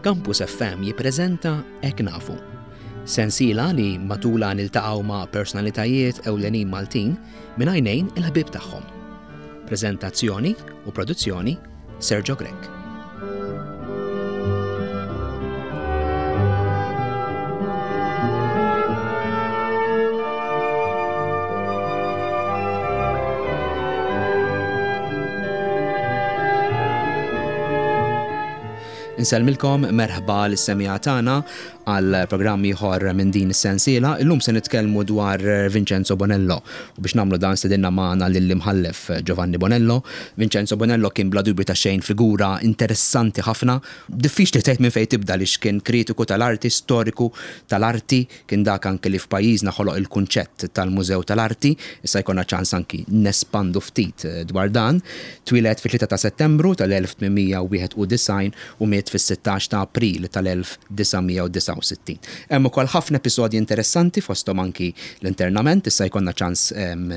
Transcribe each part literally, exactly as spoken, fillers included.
Campus F M jippreżenta Hekk Nafu. Sensiela li matula niltaqgħu ma' personalitajiet ewlenin Maltin minn għajnejn il-ħbib tagħhom. Preżentazzjoni u produzzjoni, Sergio Grech. Insellmilkom, merħba lis-semmiegħa tagħna għal programm ieħor minn din is-sensiela. Illum se nitkellmu dwar Vincenzo Bonello. U biex nagħmlu dan stedinna magħna lill-imħallef Giovanni Bonello. Vincenzo Bonello kien bla dubju ta' xejn figura interessanti ħafna. Diffiċli tgħid minn fejn tibda li kien kritiku tal-arti, storiku tal-arti, kien dak anke li f'pajjiżna ħoloq il-kunċett tal-Mużew tal-Arti. Issa jkollna ċans anki nespandu ftit dwar dan. Twieled fit-tlieta ta' Settembru tal-elf tmien mija wieħed u disgħin u miet fis-sittax ta' April tal-elf disa' mija disgħa u sittin. Hemm ukoll ħafna episodji interessanti, fosthom anki l-internament, issa jkollna ċans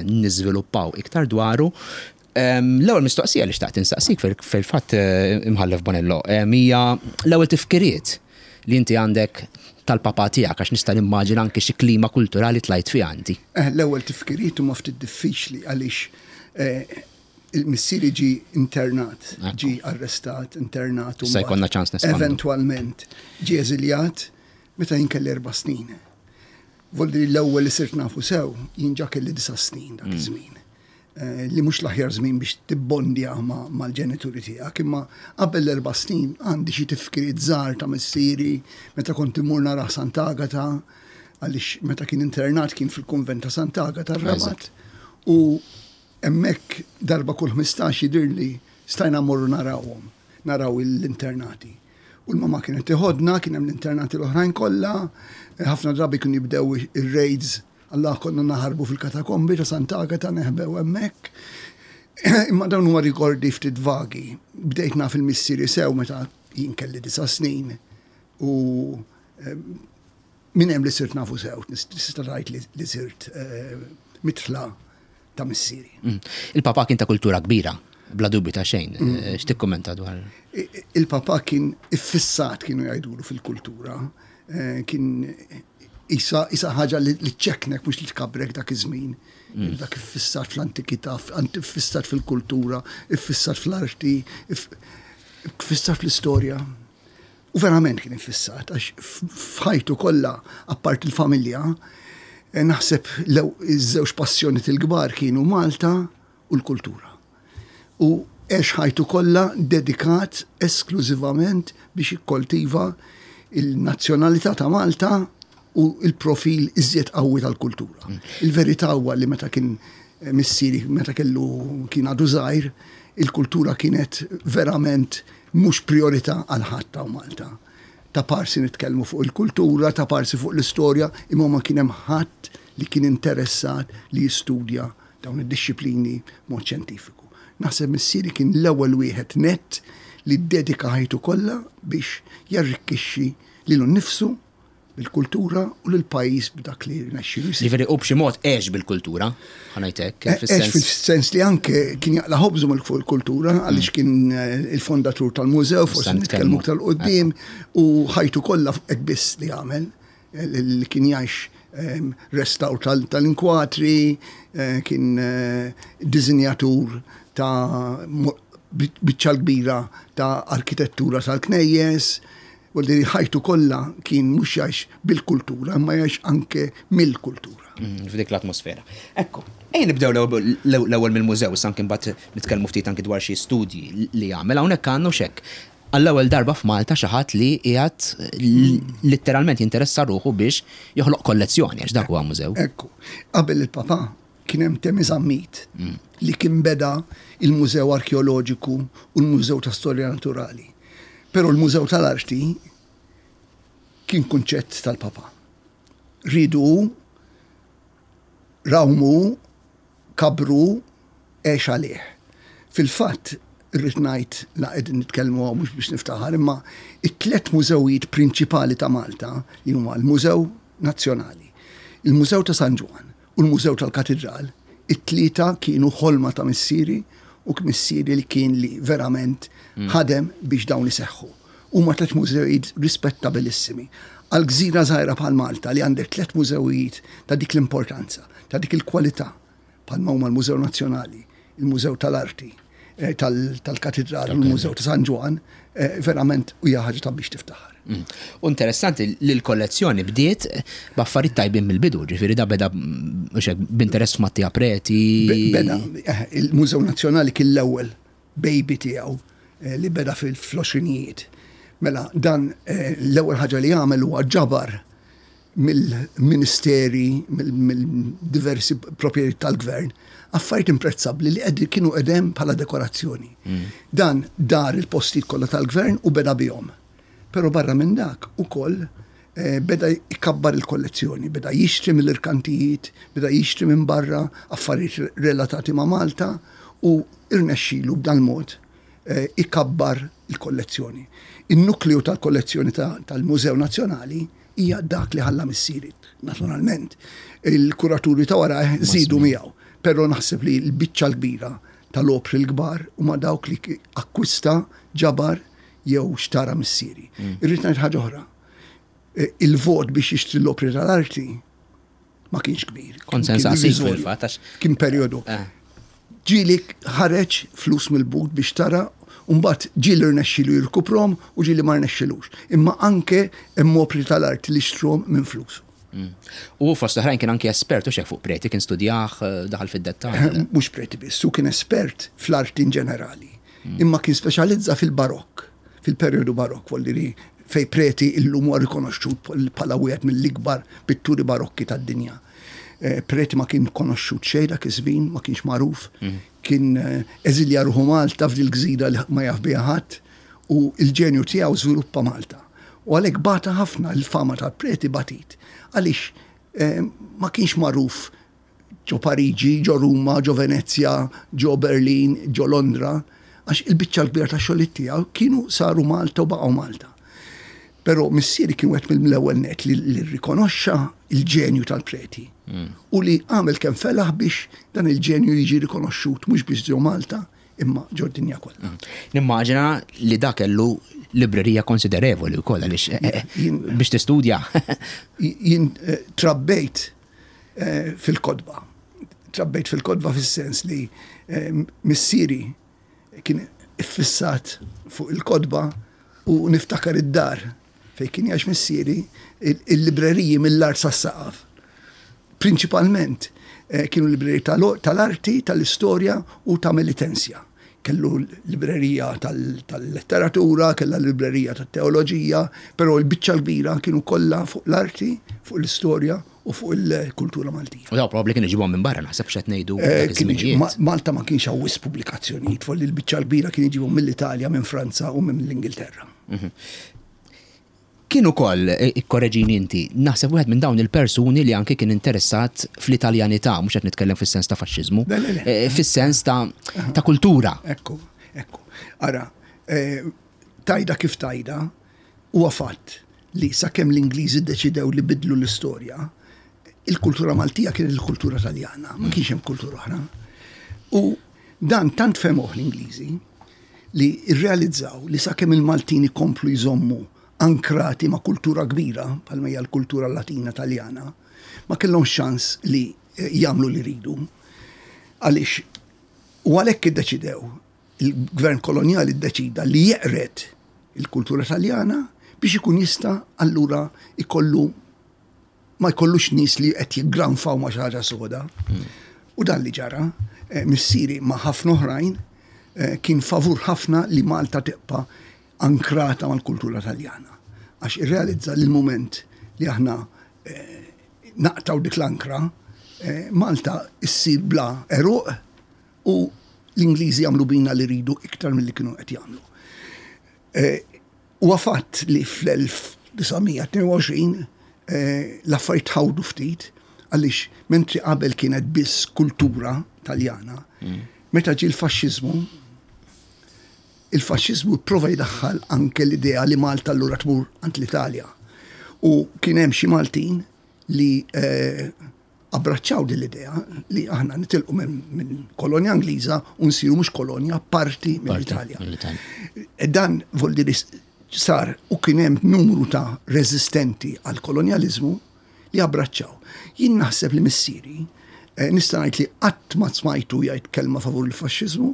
niżviluppaw iktar dwaru. L-ewwel mistoqsija li xtaqt insaqsik fil-fatt, Imħallef Bonello, hija l-ewwel tifkiriet li inti għandek tal-papa tiegħek, għax nista' nimmaġina anki xi klima kulturali tlajt fiha inti. L-ewwel tifkiriet huma ftit diffiċli għaliex il-missieri ġi internat, ġi arrestat, internat. Se jkollna ċans nespandu. Eventualment ġi eżiljat meta jien kelli erba' snin. Voldi l-ewwel li sirt nafu sew, jien ġa kelli disa' snin dak iż-żmien. Li mhux l-aħjar żmien biex tibbondja mal-ġenituri tiegħek, imma qabel l-erba' snin għandi xi tifkiriet żgħar ta' missieri meta kont immur nara Sant'Agata, għaliex meta kien internat kien fil-kunvent ta' Sant'Agata r-Rabat. U hemmhekk darba kull ħmistax jidirli stajna mmorru narawhom, naraw l-internati. U l-mama kienet teħodna, kien hemm l-internati l-oħrajn kollha, ħafna drabi kienu jibdew ir-raids, alla konna naħarbu fil-katakombi ta' Sant'Agata, neħbew hemmhekk. Imma dawn huma rikordi ftit vagi. Bdejt naf il-missieri sew meta jien kelli disa' snin u minn hemm li sirt nafu sew, tista' tgħid li sirt mitla ta' missieri. Il-papa kien ta' kultura kbira, bla dubju ta' xejn. X'tikkummenta dwar? Il-papa kien iffissat, kienu jgħidulu, fil-kultura. Kien isa ħaġa li ċeknek mhux li tkabrek dak iż-żmien. Dak iffissat fl-antikità, iffissat fil-kultura, iffissat fl-arti, iffissat fl-istorja. U verament kien iffissat, għax f'ħajtu kollha, apart il-familja, naħseb iż-żewġ passjoni il-kbar kienu Malta u l-kultura. U għex ħajtu kollha dedikat esklużivament biex jikkoltiva il-nazzjonalità ta' Malta u il-profil iżjed qawwi tal-kultura. Il-verità huwa li meta kien missieri, meta kellu kien għadu żgħir, il-kultura kienet verament mhux priorità għal ħadd ta' Malta. Ta' parsi nitkellmu fuq il-kultura, ta' parsi fuq l-istorja, imma ma kien hemm ħadd li kien interessat li jistudja dawn id-disciplini mod xjentifiku. Naħseb missieri kien l-ewwel wieħed net li ddedika ħajtu kollha biex jarrikkixxi lilu nnifsu bil-kultura u l-pajjiż b'dak li rnexxielu jsir. Ġifieri u b'xi mod għex bil-kultura, ħa ngħid hekk, Għex fis-sens. Fis-sens li anke kien jaqla' ħobżu mill fuq il-kultura, għaliex kien il-fondatur tal-mużew, forsi Issa nitkellmu nitkellmu. aktar quddiem, u ħajtu kollha hekk biss li għamel, li kien jgħix restawr tal-inkwatri, kien dizinjatur ta' biċċa kbira ta' arkitettura tal-knejjes. Vuol ħajtu kollha kien mhux jgħix bil-kultura, imma jgħix anke mill-kultura. Mm, f'dik l-atmosfera. Ekku, ejja nibdew l-ewwel mill-mużew, issa anke mbagħad nitkellmu ftit anke dwar xi studji li jagħmel. Hawnhekk għandna xek. Għall-ewwel darba f'Malta xi ħadd li qiegħed letteralment jinteressa ruħu biex joħloq kollezzjoni, għax dak huwa mużew. Ekku, qabel il-papa kien hemm Temi Zammit li kien beda il-Mużew Arkeoloġiku u l-Mużew ta' Storja Naturali. Però l-Mużew tal-Arti kien kunċett tal-papa. Ridu, rawmu, kabru, għex għalih. Fil-fatt, irrid ngħid, la qegħdin nitkellmu hawn mhux biex niftaħar, imma it-tliet mużewijiet prinċipali ta' Malta, li huma l-Mużew Nazzjonali, il-Mużew ta' San Ġwann u l-Mużew tal-Katedral, it-tlieta kienu ħolma ta' missieri u missieri li kien li verament ħadem biex dawn iseħħu. Huma tliet mużewijiet rispettabilissimi. Għal gżira żgħira bħal Malta li għandek tliet mużewijiet ta' dik l-importanza, ta' dik il-kwalità, bħalma huma l-Mużew Nazzjonali, il-Mużew tal-Arti, eh, tal-Katedral, il-Mużew ta' San Ġwann, eh, verament hija ħaġa ta' biex tiftaħar. Mm. U interessanti li l-kollezzjoni bdiet b'affarijiet tajbin mill-bidu, ġifieri da beda b'interess f'Mattia Preti. Beda, eh, il-Mużew Nazzjonali kien l-ewwel baby tiegħu eh, li beda fil-għoxrinijiet. Mela, dan eh, l-ewwel ħaġa li għamel huwa ġabar mill-ministeri, mill-diversi proprjetajiet tal-gvern, affarijiet imprezzabbli li qed kienu qedem bħala dekorazzjoni. Mm. Dan dar il-postijiet kollha tal-gvern u beda bihom. Però barra minn dak ukoll eh, beda ikabbar il-kollezzjoni, beda jixtri mill-irkantijiet, beda jixtri minn barra affarijiet relatati ma' Malta u irnexxilu b'dan mod eh, ikabbar il-kollezzjoni. Il-nukleu tal-kollezzjoni tal-Mużew Nazzjonali hija dak li ħalla missieri. Naturalment, il-kuraturi ta' wara żidu miegħu, però naħseb li l-biċċa l-kbira tal-opri l-kbar huma dawk li akkwista, ġabar jew xtara missieri. Mm. Irrid ngħid ħaġa oħra. E, il-vot biex jixtri l-opri tal-arti ma kienx kbir. Konsens fil-fatt. Kien perjodu. Eh. Ġieli ħareġ flus mill-but biex tara. Umbat ġieli rnexxilu jirkuprom u ġieli ma rnexxilux. Imma anke hemm opri tal-arti li xtrom minn flus. Mm. U fost oħrajn kien anke espert u xek fuq Preti, kien studjah, eh, daħal fid-dettall. Mhux Preti biss, u kien espert fl-arti in ġenerali. Mm. Imma kien speċjalizza fil-barokk, fil-perjodu barokk, voldiri fej Preti illum huwa rikonoxxut bħala wieħed mill-ikbar pitturi barokki tad-dinja. Eh, Preti ma kien konoxxut xejn dak iż-żmien, ma kienx magħruf, mm. kien eh, eżilja ruħu Malta f'dil gżira li ma jaf biha ħadd u il-ġenju tiegħu żviluppa Malta. U għalhekk bata ħafna l-fama tal-Preti batit. Għaliex eh, ma kienx magħruf ġo Pariġi, ġo Ruma, ġo Venezja, ġo Berlin, ġo Londra, għax il-biċċa l-kbira ta' xogħlijiet tiegħu kienu saru Malta u baqgħu Malta. Però missieri kien wieħed mill-ewwel net li, li rrikonoxxa il-ġenju tal-Preti mm. u li għamel kemm felaħ biex dan il-ġenju jiġi rikonoxxut mhux biss ġo Malta imma ġo dinja kollha. Mm. Nimmaġina li dak kellu librerija konsiderevoli wkoll għaliex eh, eh, biex tistudja. Jien eh, trabbejt fil-kotba. Trabbejt fil-kotba fis-sens li missieri kien iffissat fuq il-kotba u niftakar id-dar fej kien jgħix missieri il-libreriji mill-art sas-saqaf. Prinċipalment eh, kienu libreriji tal-arti, tal-istorja u ta' Melitensia. Kellu librerija tal-letteratura, kella librerija tat-teoloġija, però l-biċċa l-kbira kienu kollha fuq l-arti, fuq l-istorja u fuq il-kultura Maltija. U daw probabbli kienu ġibhom minn barra, naħseb x'qed ngħidu. Eh, Malta ma kienx hawn wisq pubblikazzjonijiet, folli l-biċċa l-kbira kien iġibhom mill-Italja, minn Franza u minn l-Ingilterra. Mhm. Kien ukoll, eh, ikkoreġini inti, naħseb wieħed minn dawn il-persuni li anke kien interessat fl-Italjanità, mhux qed nitkellem fis-sens ta' faxxiżmu, eh, fis-sens ta' ta' kultura. Ekku, ekku. Ara, eh, tajda kif tajda, huwa fatt li sakemm l-Ingliżi ddeċidew li bidlu l-istorja, il-kultura Maltija kienet il-kultura Taljana, ma kienx hemm kultura oħra. U dan tant fehmuh l-Ingliżi li rrealizzaw li sakemm il-Maltin ikomplu jżommu ankrati ma' kultura kbira, bħalma hija l-kultura Latina Taljana, ma kellhom ċans li eh, jagħmlu li ridu. Għaliex u għalhekk iddeċidew, il-gvern kolonjali ddeċida li jeqred il-kultura Taljana biex ikun jista' allura ikollu ma jkollux nies li qed jiggranfaw ma' xi ħaġa soda. Mm. U dan li ġara, eh, missieri ma' ħafna oħrajn eh, kien favur ħafna li Malta tibqa' ankrata mal-kultura Taljana. Għax irrealizza li l-moment li aħna eh, naqtaw dik l-ankra, eh, Malta issir bla eruq u l-Ingliżi jagħmlu bina li ridu iktar milli kienu qed jagħmlu. Eh, huwa fatt li fl-elf disa' mija tnejn u għoxrin l-affarijiet tħawdu ftit, għaliex mentri qabel kienet biss kultura Taljana, mm. meta ġie l-faxxiżmu, il-faxxiżmu prova jdaħħal anke l-idea li Malta allura tmur għand l-Italja. U kien hemm xi Maltin li, eh, abbraċċaw din l-idea li aħna nitilqu minn, minn kolonja Ingliża u nsiru mhux kolonja, parti mill-Italja. Parti mill-Italja. E dan vuol dire Sar u kien hemm numru ta' reżistenti għal kolonjaliżmu li abbraċċaw. Jien naħseb li missieri, eh, nista' ngħid li qatt ma smajtu jgħid kelma favur il-faxxiżmu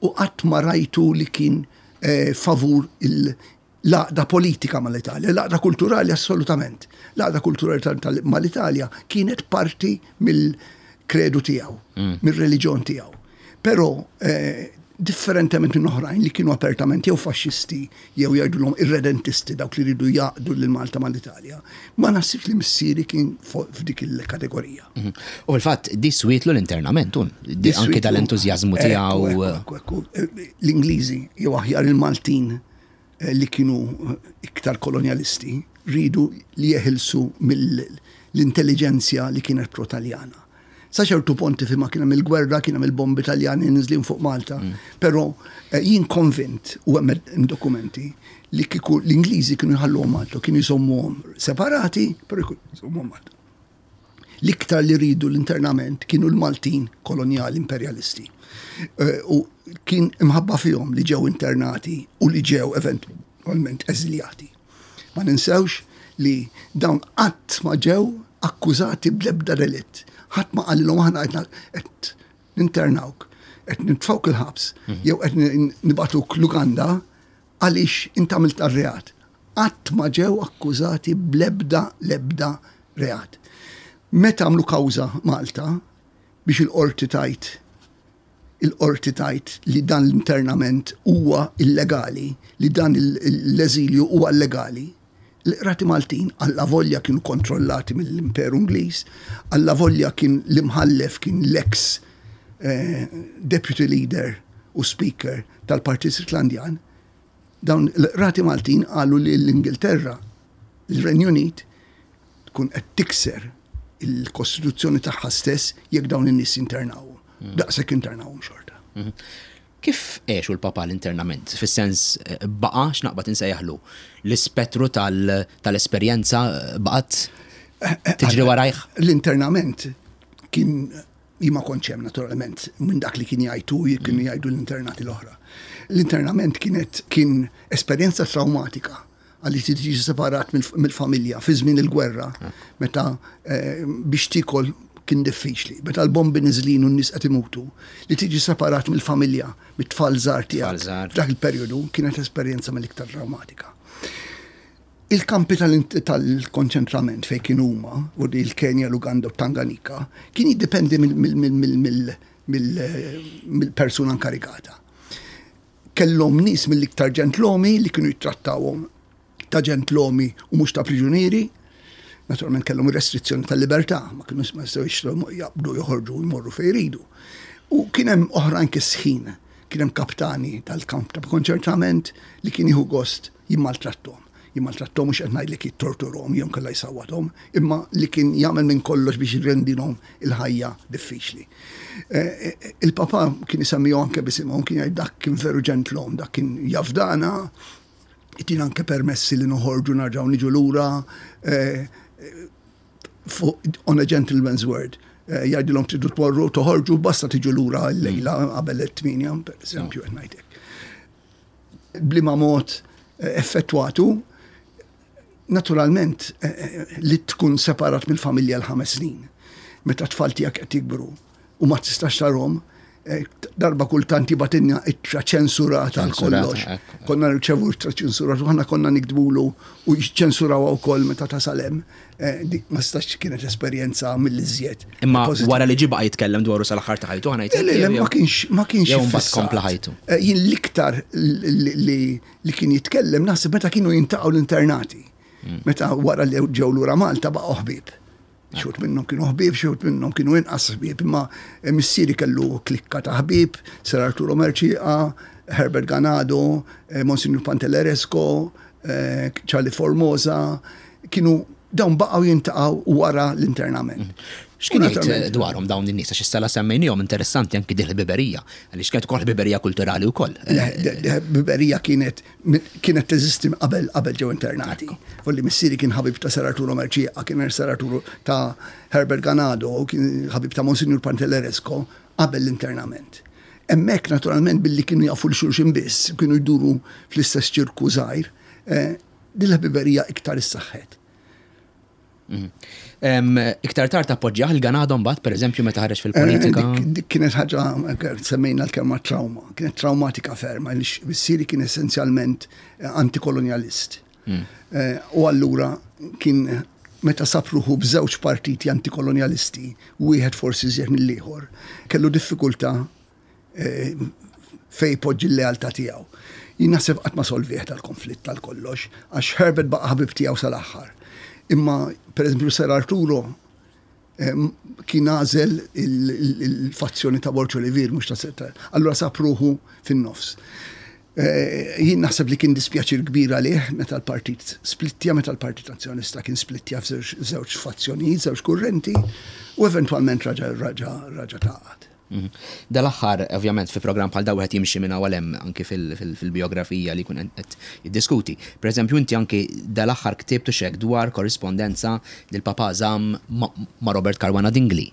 u qatt ma rajtu li kien eh, favur l-għaqda politika mal-Italja, l-għaqda kulturali assolutament. L-għaqda kulturali mal-Italja kienet parti mill-kredu tiegħu, mm. mir-reliġjon tiegħu. Però eh, differentement minn oħrajn li kienu apertament jew faxxisti jew jgħidulhom irredentisti, dawk li ridu jgħaqqdu lil Malta mal-Italja. Ma naħsibx li missieri kien f'dik il-kategorija. Mhm. U fil-fatt di swietlu l-internament, anke dal-entużjażmu tiegħu. L-Ingliżi jew aħjar il-Maltin eh, li kienu eh, iktar kolonialisti ridu li jeħilsu mill-intelliġenzja li kienet pro-Taljana. Sa ċertu punti fi ma kien hemm il-gwerra, kien hemm il-bombi Taljani nizlin fuq Malta. Mm. Però eh, jien konvint u hemm dokumenti li kieku l-Ingliżi kienu jħalluhom Malta, kienu jżommuhom separati, però jżommuhom Malta. L-iktar li ridu l-internament kienu l-Maltin koloniali imperjalisti. Eh, u kien imħabba fihom li ġew internati u li ġew eventualment eżiljati. Ma ninsewx li dawn qatt ma ġew akkużati bl-ebda delitt. Ħadd ma qalilhom aħna qed ninternawk, qed nitfgħuk il-ħabs, mhm. jew qed nibagħtuk l-Uganda għaliex int għamilt reat. Qatt ma ġew akkużati bl-ebda l-ebda reat. Meta għamlu kawża Malta biex il-qorti tajt il-qorti tajt li dan l-internament huwa illegali, li dan l-eżilju huwa illegali, l-qrati Maltin alla volja kienu kontrollati mill-Imperu Ingliż, alla volja kien l-imħallef kien l-ex eh, deputy leader u speaker tal-Partit Irlandjan, dawn l-qrati Maltin qalu li l-Ingilterra, l-Renju Unit, tkun qed tikser il-kostituzzjoni tagħha stess jekk dawn in-nies internawhom. Mm. Daqshekk internawhom xorta. Mm-hmm. Kif għexu l-papa l-internament? Fis-sens eh, baqa' x'naqbad insejjaħlu l-ispettru tal-esperjenza eh, baqgħet eh, tiġri warajh? L-internament kien, jien ma kontx hemm naturalment, minn dak li kien jgħidu, kienu mm. jgħidu l-internati l-oħra. L-internament kienet kien esperjenza traumatika għalli tiġi separat mill-familja fi żmien il-gwerra, meta biex tikol kien diffiċli. Meta l-bombi nizlin u n-nies qed imutu, li tiġi separat mill-familja, mit-tfal żgħar tiegħek. Dak il-perjodu kienet esperjenza mill-iktar traumatika. Il-kampi tal-konċentrament fejn kienu huma, u il-Kenja, l-Uganda u Tanganyika, kien jiddependi mill-persuna inkarigata. Kellhom nies mill-iktar ġentlomi li kienu jittrattawhom ta' ġentlomi u mhux ta' priġunieri. Naturalment kellhom restrizzjoni tal-libertà, ma kienu ma jistgħu jaqbdu joħorġu jmorru fejn jridu. U kien hemm oħrajn kisħin, kien hemm kaptani tal-kamp ta' konċentrament li kien jieħu gost jimmaltrattom. Jimmaltrattom mhux qed ngħidlek jittorturhom jew kellha jsawwathom, imma li kien jagħmel minn kollox biex jirrendilhom il-ħajja diffiċli. Eh, eh, il-papa kien isemmihom anke bisimhom, kien jgħid dak kien veru ġentlom, dak kien jafdana, jtina anke permessi li noħorġu narġgħu niġu lura, eh, on a gentleman's word. Eh, jgħidilhom tridu tmorru toħorġu, basta tiġu lura l-lejla qabel it-tmienja, per eżempju, qed ngħidlek. B'liema mod eh, effettwatu, naturalment eh, li tkun separat mill-familja l-ħames snin, meta tfal tiegħek qed jikbru u ma tistax tarhom, darba kultant jibgħatilna ittra ċensurata għal kollox. Konna nirċevu ittra ċensurata u aħna konna niktbulu u ċensuraw wkoll meta tasal hemm. Dik ma stax kienet esperjenza mill-iżjed. Imma wara li ġie baqa' jitkellem dwaru sal-aħħar ta' ħajtu ħana Le, le, ma kienx ma kienx Jew mbagħad kompla ħajtu. Jien l-iktar li kien jitkellem naħseb meta kienu jiltaqgħu l-internati. Mm. Meta wara li ġew lura Malta baqgħu ħbieb. Xi wħud minnhom kienu ħbieb, xi wħud minnhom kienu inqas ħbieb, imma missieri kellu klikka ta' ħbieb, Sir Arturo Mercieca, Herbert Ganado, eh, Monsignor Pantelleresco, eh, Charlie Formosa, kienu dawn baqgħu jiltaqgħu wara l-internament. Mm. X'kien jgħid dwarhom dawn in-nies, għax issa la semmejnihom, interessanti anki din il-ħbiberija, għaliex kienet ukoll ħbiberija kulturali wkoll. Ħbiberija kienet kienet teżisti qabel qabel ġew internati. Volli missieri kien ħabib ta' Sir Arturo Mercieca, kien Sir Arturo ta' Herbert Ganado, kien ħabib ta' Monsignor Pantelleresco qabel l-internament. Hemmhekk naturalment billi kienu jafu 'l xulxin biss, kienu jduru fl-istess ċirku żgħir, Eh, din l-ħbiberija iktar issaħħet. Mhm. Iktar tard appoġġjah il-Ganado mbagħad, pereżempju, meta ħareġ fil-politika. Eh, dik kienet ħaġa, semmejna l-kelma trauma, kienet traumatika ferma, għaliex missieri kien essenzjalment eh, antikolonjalist. Mm. Eh, u allura kien meta sab ruħu b'żewġ partiti antikolonjalisti, wieħed forsi iżjed mill-ieħor, kellu diffikultà fejn ipoġġi l-lealtà tiegħu. Jien naħseb qatt ma solvih tal-konflitt tal-kollox, għax Herbert baqa' ħabib tiegħu sal-aħħar. Imma, per eżempju, Sir Arturo kien għażel il-fazzjoni ta' Borg Olivier, mhux ta' Sir. Allura sab ruħu fin-nofs. Eh, jien naħseb li kien dispjaċir kbir għalih meta l-partit splittja, meta l-Partit Nazzjonalista kien splittja f'żewġ fazzjonijiet, żewġ kurrenti, u eventwalment raġa raġa raġa tgħaqqad. Mhm. Dal-aħħar, ovvjament, fi programm bħal dawn wieħed jimxi minn hawn hemm anki fil-biografija li jkun qed jiddiskuti. Per eżempju, inti anki dal-aħħar ktibtu xek dwar korrispondenza li l-Papa żamm ma' Robert Caruana Dingli.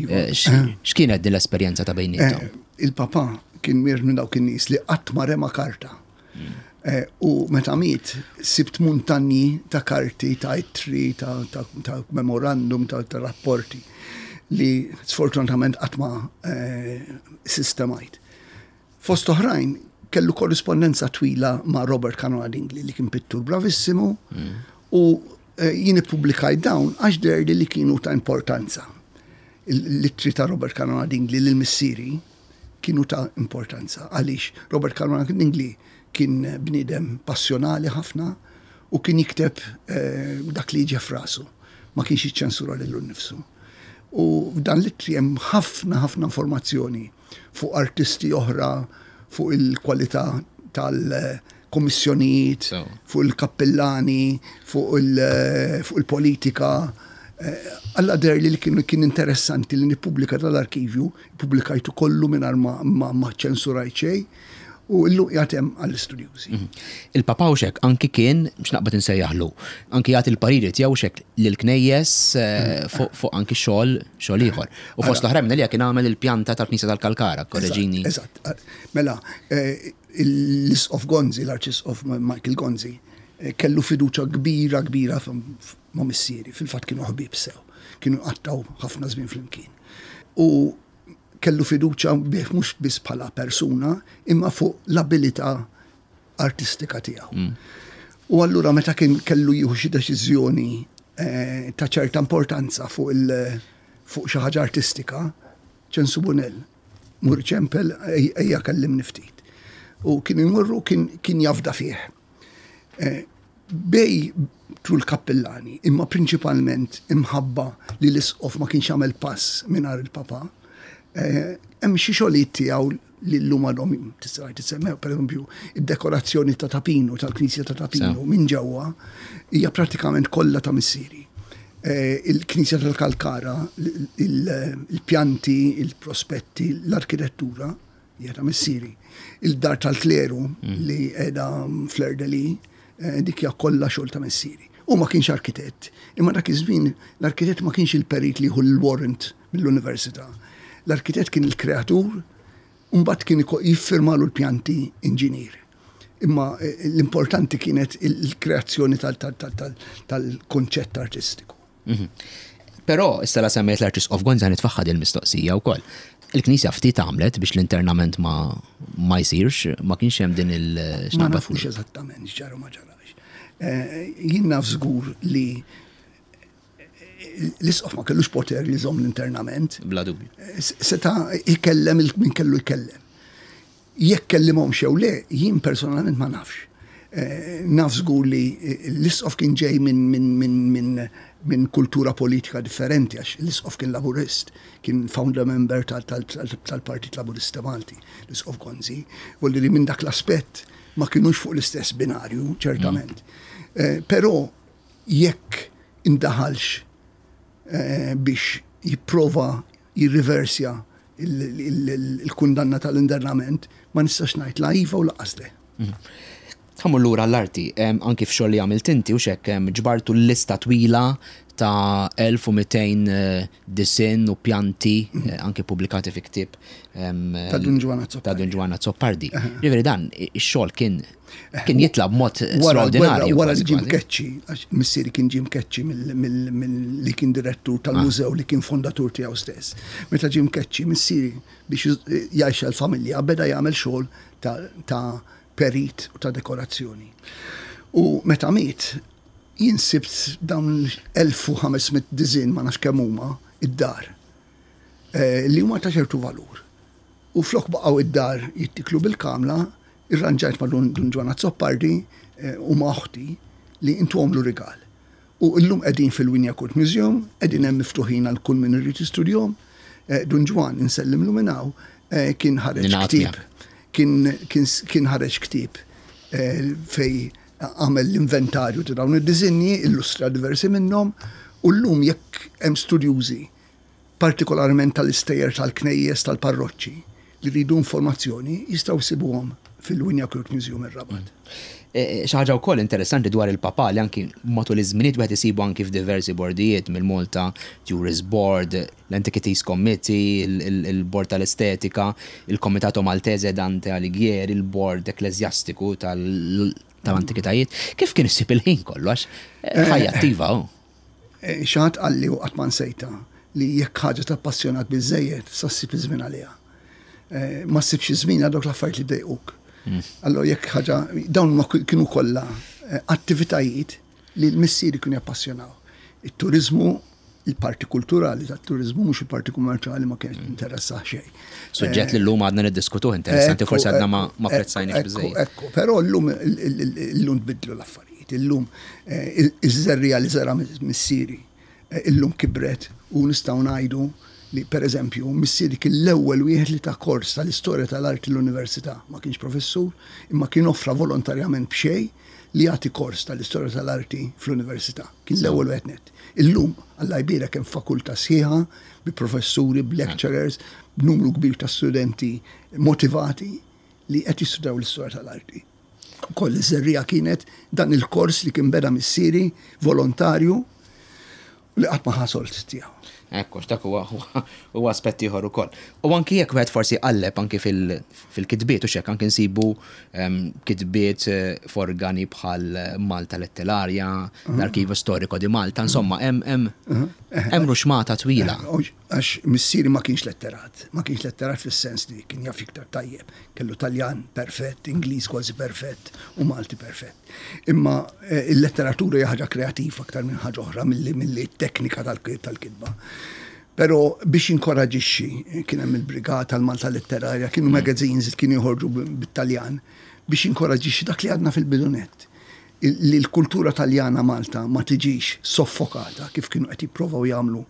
Iva. Eh, x'kienet din l-esperjenza ta' bejniethom? Eh, il-Papa kien mir minn dawk in-nies li qatt ma rema karta. Mm. Eh, u meta miet, sibt muntanji ta' karti, ta' ittri, ta', ta, ta memorandum, ta', ta rapporti li sfortunatament qatt ma eh, sistemajt. Fost oħrajn, kellu korrispondenza twila ma' Robert Caruana Dingli, li kien pittur bravissimu, mm. u eh, jien ippubblikajt dawn għax deherli li kienu ta' importanza. L-ittri ta' Robert Caruana Dingli lil missieri kienu ta' importanza għaliex Robert Caruana Dingli kien bniedem passjonali ħafna u kien jikteb eh, dak li jiġi f'rasu. Ma kienx jiċċensura lilu nnifsu. U f'dan l-ittri hemm ħafna ħafna informazzjoni fuq artisti oħra, fuq il-kwalità tal-kommissjonijiet, fuq il-kappellani, fuq il-politika. Eh, Alla deherli li kien kien interessanti li nippubblika tal-arkivju, pubblikajtu kollu mingħajr ma, ma, ma ċensurajt xejn u illum qiegħed hemm għall-istudjużi. Mhm. Il-Papa xek anki kien, biex naqbad insejjaħlu, anki jagħti l-pariri tiegħu xek lill-knejjes eh, fuq fuq anki xogħol xogħol ieħor. U fost l-oħrajn li kien għamel il-pjanta tal-Knisja tal-Kalkara, korreġini. Eżatt. Mela, eh, l-Isqof Gonzi, l-Arċisqof Michael Gonzi, eh, kellu fiduċa kbira kbira ma' missieri, fil-fatt kienu ħbieb sew, kienu qattgħu ħafna żmien flimkien. U kellu fiduċa bih mhux biss bħala persuna, imma fuq l-abilità artistika tiegħu. Mm. U allura meta kien kellu jieħu xi deċiżjoni eh, ta' ċerta importanza fuq il fuq xi ħaġa artistika, "Ċensu Bonell, mur ċempel, ejja kellimni ftit." U kien imurru, kien, kien jafda fih. Eh, bej tul kappellani, imma prinċipalment imħabba li l-isqof ma kienx għamel pass mingħajr il-papa, eh, hemm xi xogħlijiet tiegħu li llum għadhom tista' tissemmew, pereżempju, id-dekorazzjoni ta' Tapinu, tal-Knisja ta' Tapinu minn ġewwa hija pratikament kollha ta' missieri. Eh, il-Knisja tal-Kalkara, il-pjanti, il-prospetti, l-arkitettura hija ta' missieri. Il-dar tal-kleru mm. li qiegħda Fleur-de-Lys, eh, dik hija kollha xogħol ta' missieri. U ma kienx arkitett, imma dak iż-żmien l-arkitett ma kienx il-perit li jieħu l-warrant mill-università. L-arkitett kien il-kreatur, u mbagħad kien jiffirmalu l-pjanti inġinier. Imma eh, l-importanti kienet il-kreazzjoni tal-konċett artistiku. Mhm. Però issa la semmejt l-Arċisqof Gonzi, nitfaħħad il-mistoqsija wkoll. Il-Knisja ftit għamlet biex l-internament ma, ma jsirx, ma kienx hemm din il- Ma nafux eżattament x'ġara, ma ġarax. Eh, jien naf żgur li l-isqof ma kellux poter li jżomm l-internament. Bla dubju. Eh, seta jkellem min kellu jkellem. Jekk kellimhom xew le, jien personalment ma nafx. Eh, naf żgur li l-isqof kien ġej minn min, min, min, min kultura politika differenti, għax l-isqof kien laburist, kien founder member tal-Partit Laburista Malti, l-Isqof Gonzi, u li minn dak l-aspett ma kienux fuq l-istess binarju, ċertament. Mm. Eh, però jekk indaħalx eh, biex jipprova jirriversja il-kundanna tal-internament, ma nistax ngħid la iva u lanqas le. Mm. Ħa mmur lura l-arti, anki f'xogħol li għamilt inti u xek ġbartu l-lista twila ta' elf u mitejn eh, disinn u pjanti eh, anki pubblikati fi ktieb ta' Dun Ġwann Azzopardi. Ta' Dun Ġwann Azzopardi. Ġifieri dan ix-xogħol kien kien jitla b'mod Wara l-gwerra, straordinarju. Wara Kważi li ġie kważi. mkeċċi, għax missieri kien ġie mkeċċi mill li kien direttur tal-mużew li kien fondatur tiegħu stess. Meta ġie mkeċċi, missieri biex jgħix l-familja beda jagħmel xogħol ta', ta perit u ta' dekorazzjoni. U meta miet, jien sibt dawn elf u ħames mitt disinn, ma nafx kemm huma, id-dar eh, li huma ta' ċertu valur. U flok baqgħu id-dar jittiklu bil-kamla, irranġajt ma' Dun Dun Ġwann Azzopardi eh, u ma' oħti li intuhomlu rigal. U illum qegħdin fil-Wignacourt Museum, qegħdin hemm miftuħin għal kull min irid jistudjahom. Eh, Dun Ġwann, insellimlu minn hawn, eh, kien ħareġ Ningħaqad ktieb. miegħek. Kien, kien, kien ħareġ ktieb eh, fej għamel l-inventarju ta' dawn id-disinji, illustra diversi minnhom, u llum jekk hemm studjużi, partikolarment tal-istejjer tal-knejjes tal-parroċċi, li ridu informazzjoni, jistgħu jsibuhom fil-Wignacourt Museum ir-Rabat. E, Xi ħaġa wkoll interessanti dwar il-papa li anki matul iż-żminijiet wieħed isibu anki f'diversi bordijiet mill-Malta Tourist Board, l-Antiquities Committee, il- il- il-Bord tal-Estetika, il-Comitato Maltese Dante Alighieri, il-Bord Ekklesjastiku tal- tal-Antikitajiet. Kif kien issib il-ħin kollu għax eh, ħajja attiva oh. Eh, Xi ħadd qalli u qatt ma nsejta li jekk ħaġa tappassjonak biżejjed, sa ssib iż-żmien għaliha. Eh, Ma ssibx iż-żmien għal dawk l-affarijiet li jdejquk. Allora jekk ħaġa, dawn ma kienu kollha eh, attivitajiet li l-missieri kienu jappassjonaw. Il-turizmu, il-parti kulturali tat-turizmu, mhux il-parti kummerċjali, ma kienx interessa xejn. Suġġett li llum għadna niddiskutuh, interessanti, Ekku, forsi għadna ma ekku, ma apprezzajniex ekku, biżejjed. Ekku, però llum illum tbidlu l-affarijiet, illum eh, iż-żerriegħa li żera missieri eh, illum kibret u nistgħu ngħidu li, per eżempju, missieri kien l-ewwel wieħed li ta kors tal-istorja tal-arti l-università. Ma kienx professur, imma kien offra volontarjament b'xejn li jagħti kors tal-istorja tal-arti fl-università. Kien l-ewwel wieħed net. Illum, Alla jbierek, hemm fakultà sħiħa bi professuri, b'lecturers, b'numru kbir ta' studenti motivati li qed jistudjaw l-istorja tal-arti. Koll iż-żerriegħa kienet dan il-kors li kien beda missieri volontarju li qatt ma ħa sold tiegħu. Ekku, dak huwa huwa aspett ieħor ukoll. U anki jekk wieħed forsi qalleb anki fil- fil-kitbiet u xek anki nsibu em, kitbiet eh, f'organi bħal Malta Letteraria, l-Archivio Storico di Malta, insomma, hemm hemm hemm ruxmata twila. Għax missieri ma kienx letterat, ma kienx letterat fis-sens li kien jaf iktar tajjeb, kellu Taljan perfett, Ingliż kważi perfett u Malti perfett. Imma eh, il-letteratura hija ħaġa kreativa aktar minn ħaġa oħra milli milli teknika tal-kitba. Però biex inkoraġixxi, kien hemm il-Brigata, l-Malta Letterarja, kienu magazines li kienu joħorġu bit-Taljan biex inkoraġixxi dak li għadna fil-bidu nett, li l-kultura Taljana Malta ma tiġix soffokata kif kienu qed jipprovaw jagħmlu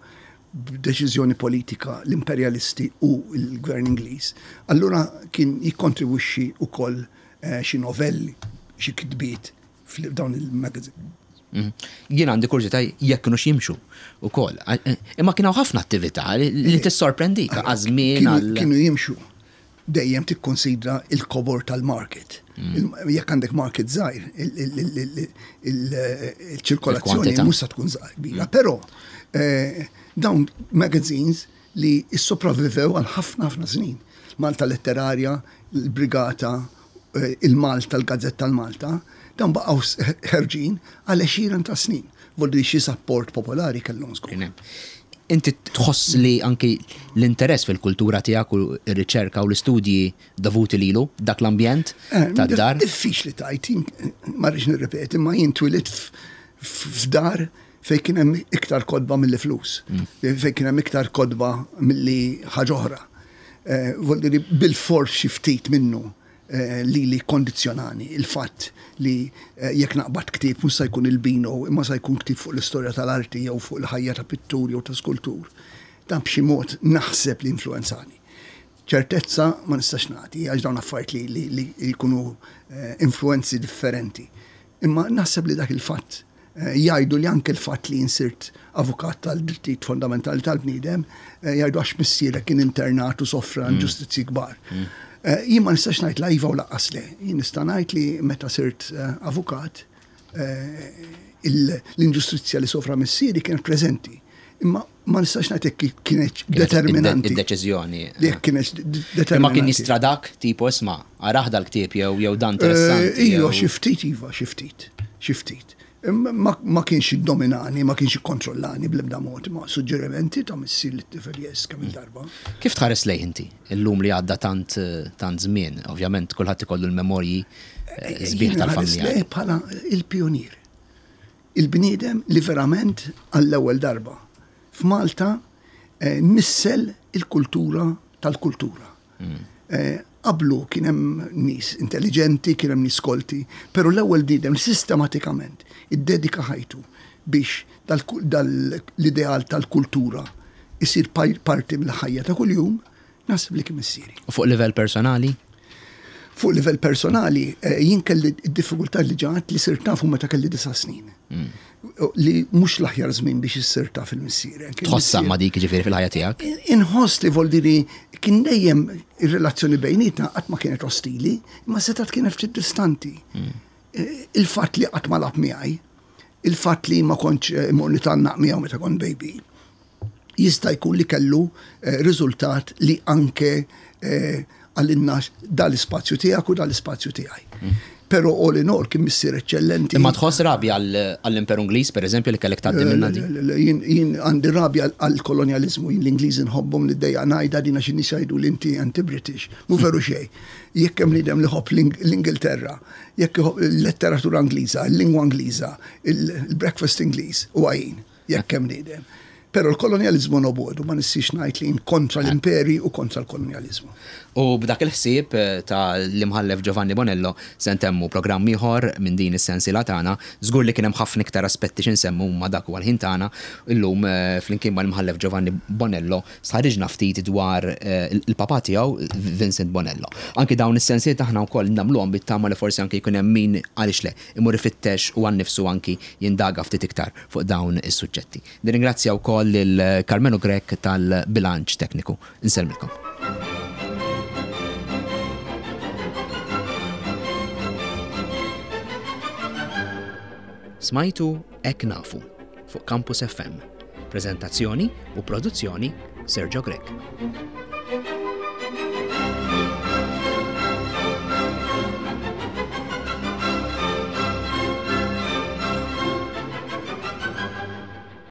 b'deċiżjoni politika l-imperjalisti u l-gvern Ingliż. Allura kien jikkontribwixxi wkoll eh, xi novelli, xi kitbiet f'dawn il-magazine. Mhm. Jien għandi kurżità jekk kienux jimxu ukoll. Eh, Imma kien hawn ħafna attività li li tissorprendik għaż-żmien Kienu għal kienu jimxu. Dejjem tikkonsidra il-kobor tal-market. Il- Jekk għandek market żgħir, il-ċirkolazzjoni Il-kwantità. mhux se tkun żgħir kbira. Però eh, dawn magazines li sopravvivew għal ħafna ħafna snin. Malta Letterarja, il-Brigata, eh, il-Malta, il-Gazzetta tal-Malta, dawn baqgħu s- ħerġin għal għexieren ta' snin. Voldi xi support popolari kellhom żgur. Kien hemm. Inti tħoss li anki l-interess fil-kultura tiegħek u r-riċerka u l-istudji dovuti lilu dak l-ambjent Eh, tad-dar? Diffiċli tgħid, jien- ma rridx nirrepeti, ma jien twilidt f- f- f'dar fej kien hemm iktar kotba milli flus, fej kien hemm iktar kotba milli ħaġa oħra. Eh, Vuol dire bil-fors xi ftit minnu eh, li li kondizjonani il-fatt li eh, jekk naqbad ktieb mhux se jkun il-Bino, imma se jkun ktieb fuq l-istorja tal-arti jew fuq il-ħajja ta' pittur jew ta' skultur. Dan b'xi mod naħseb li influenzani. Ċertezza ma nistax nagħti għax dawn affarijiet li, li, li jkunu eh, influenzi differenti. Imma naħseb li dak il-fatt Jgħidu li anke l-fatt li jien sirt avukat tal-drittijiet fondamentali tal-bniedem, jgħidu għax missierek kien internat u sofra inġustizzji kbar. Jien ma nistax ngħid la iva u lanqas le. Jien nista' ngħid li meta sirt avukat, l-inġustizzja li sofra missieri kienet preżenti. Imma ma nistax ngħid jekk kienet determinanti. Id-deċiżjoni. Jekk kienet determinanti. Imma kien jistradak tipo isma' arah dal-ktieb jew jew dan interessanti. Iva, xi ftit iva, xi ftit, xi ftit. Ma kienx iddominani, ma kienx ikkontrollani bl-ebda mod, ma suġġerimenti ta' missier lit-tifel yes kemm il-darba. Kif tħares lejh inti illum li għadda tant tant żmien? Ovvjament kulħadd ikollu l-memorji sbieħ tal-familja. Lejh bħala il-pionier. Il-bniedem li verament għall-ewwel darba f'Malta nissel il-kultura tal-kultura. Qablu kien hemm nies intelligenti, kien hemm nies kolti, però l-ewwel bniedem li sistematikament iddedika ħajtu biex dal-ideal tal-kultura isir parti mill-ħajja ta' kuljum, naħseb li kien missieri. U fuq livell personali? Fuq livell personali, jien kelli d-diffikultà li ġat li sirt nafu meta kelli disa' snin. Li mhux l-aħjar żmien biex issir taf il-missier. Tħossha ma dik ġifieri fil-ħajja tiegħek? Inħoss li voldiri kien dejjem ir-relazzjoni bejnietna qatt ma kienet ostili, imma setgħet kienet ftit distanti. Il-fatt li qatt ma lagħab miegħi, il-fatt li ma kontx immur nitgħannaq miegħu meta kont baby, jista' jkun li kellu riżultat li anke għalinna dal-ispazju tiegħek u dal-ispazju tiegħi. Però all in all kien missier eċċellenti. Imma tħoss rabja għall-Imperu Ingliż, pereżempju, li kellek tgħaddi minnha din? Jien għandi rabja għall-kolonjaliżmu, jien l-Ingliżi nħobbhom li ddejjaq ngħidha din għax in-nies jgħidu li inti anti-British. Mhu veru xejn. Jekk hemm bniedem li ħobb l-Ingilterra, jekk iħobb il-letteratura Ingliża, il-lingwa Ingliża, il-breakfast Ingliż, huwa jien, jekk hemm bniedem. Però l-kolonjalizmu nobodu, ma nistix ngħid li kontra l-imperi u kontra l-kolonjalizmu. U b'dak il-ħsieb ta' l-imħallef Giovanni Bonello se ntemmu programm ieħor minn din is-sensiela tagħna. Żgur li kien hemm ħafna iktar aspetti x'insemmu ma dak huwa l-ħin tagħna. Illum flimkien mal-imħallef Giovanni Bonello sħariġna ftit dwar il-papà tiegħu Vincent Bonello. Anki dawn is-sensiela aħna wkoll nagħmluhom bit-tama li forsi anki jkun hemm min għaliex le imur ifittex u għan-nifsu anki jindaga ftit iktar fuq dawn is-suġġetti. Nirringrazzja wkoll lil Carmelo Grech tal-bilanċ tekniku. Insellmilkom. Smajtu Hekk Nafu fuq Campus F M. Prezentazzjoni u produzzjoni Sergio Grech.